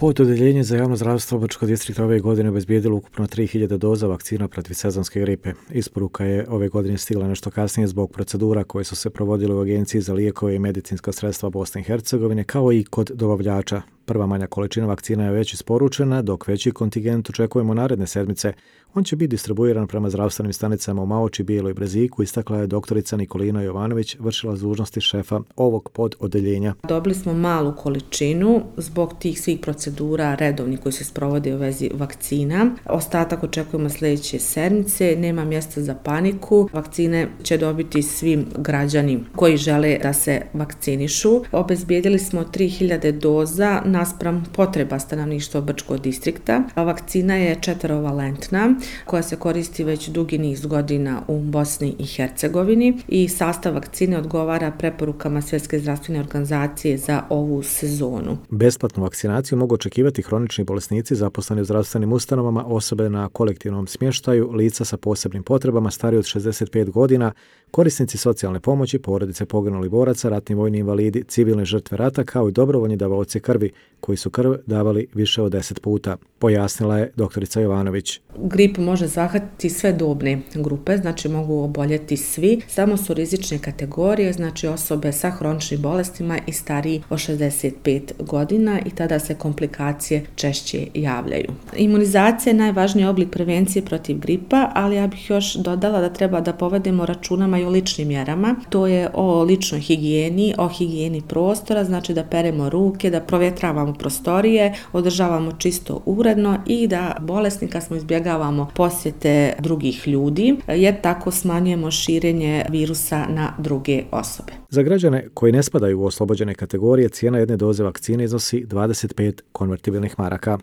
Pod odeljenje za javno zdravstvo Brčkog distrikta ove godine obezbijedilo ukupno 3000 doza vakcina protiv sezonske gripe. Isporuka je ove godine stigla nešto kasnije zbog procedura koje su se provodile u Agenciji za lijekove i medicinska sredstva Bosne i Hercegovine, kao i kod dobavljača. Prva manja količina vakcina je već isporučena, dok veći kontingent očekujemo naredne sedmice. On će biti distribuiran prema zdravstvenim stanicama u Maoči, Bijeloj Breziku, istakla je doktorica Nikolina Jovanović, vršila dužnosti šefa ovog pododeljenja. Dobili smo malu količinu zbog tih svih procedura redovnih koji se sprovode u vezi vakcina. Ostatak očekujemo sljedeće sedmice, nema mjesta za paniku. Vakcine će dobiti svi građani koji žele da se vakcinišu. Obezbijedili smo 3000 doza naspram potreba stanovništva Brčkog distrikta. Vakcina je 4-valentna koja se koristi već dugi niz godina u Bosni i Hercegovini i sastav vakcine odgovara preporukama Svjetske zdravstvene organizacije za ovu sezonu. Besplatnu vakcinaciju mogu očekivati hronični bolesnici zaposleni u zdravstvenim ustanovama, osobe na kolektivnom smještaju, lica sa posebnim potrebama stariji od 65 godina, korisnici socijalne pomoći, porodice poginulih boraca, ratni vojni invalidi, civilne žrtve rata, kao i dobrovoljni davaoci krvi koji su krv davali više od 10 puta, pojasnila je doktorica Jovanović. Gripu može zahvatiti sve dobne grupe, znači mogu oboljeti svi, samo su rizične kategorije, znači osobe sa hroničnim bolestima i stariji od 65 godina i tada se komplikacije češće javljaju. Imunizacija je najvažniji oblik prevencije protiv gripa, ali ja bih još dodala da treba da povedemo računama i o ličnim mjerama. To je o ličnoj higijeni, o higijeni prostora, znači da peremo ruke, da provjetravamo prostorije, održavamo čisto uredno i da bolesnika smo izbjegavamo posjete drugih ljudi, jer tako smanjujemo širenje virusa na druge osobe. Za građane koji ne spadaju u oslobođene kategorije, cijena jedne doze vakcine iznosi 25 konvertibilnih maraka.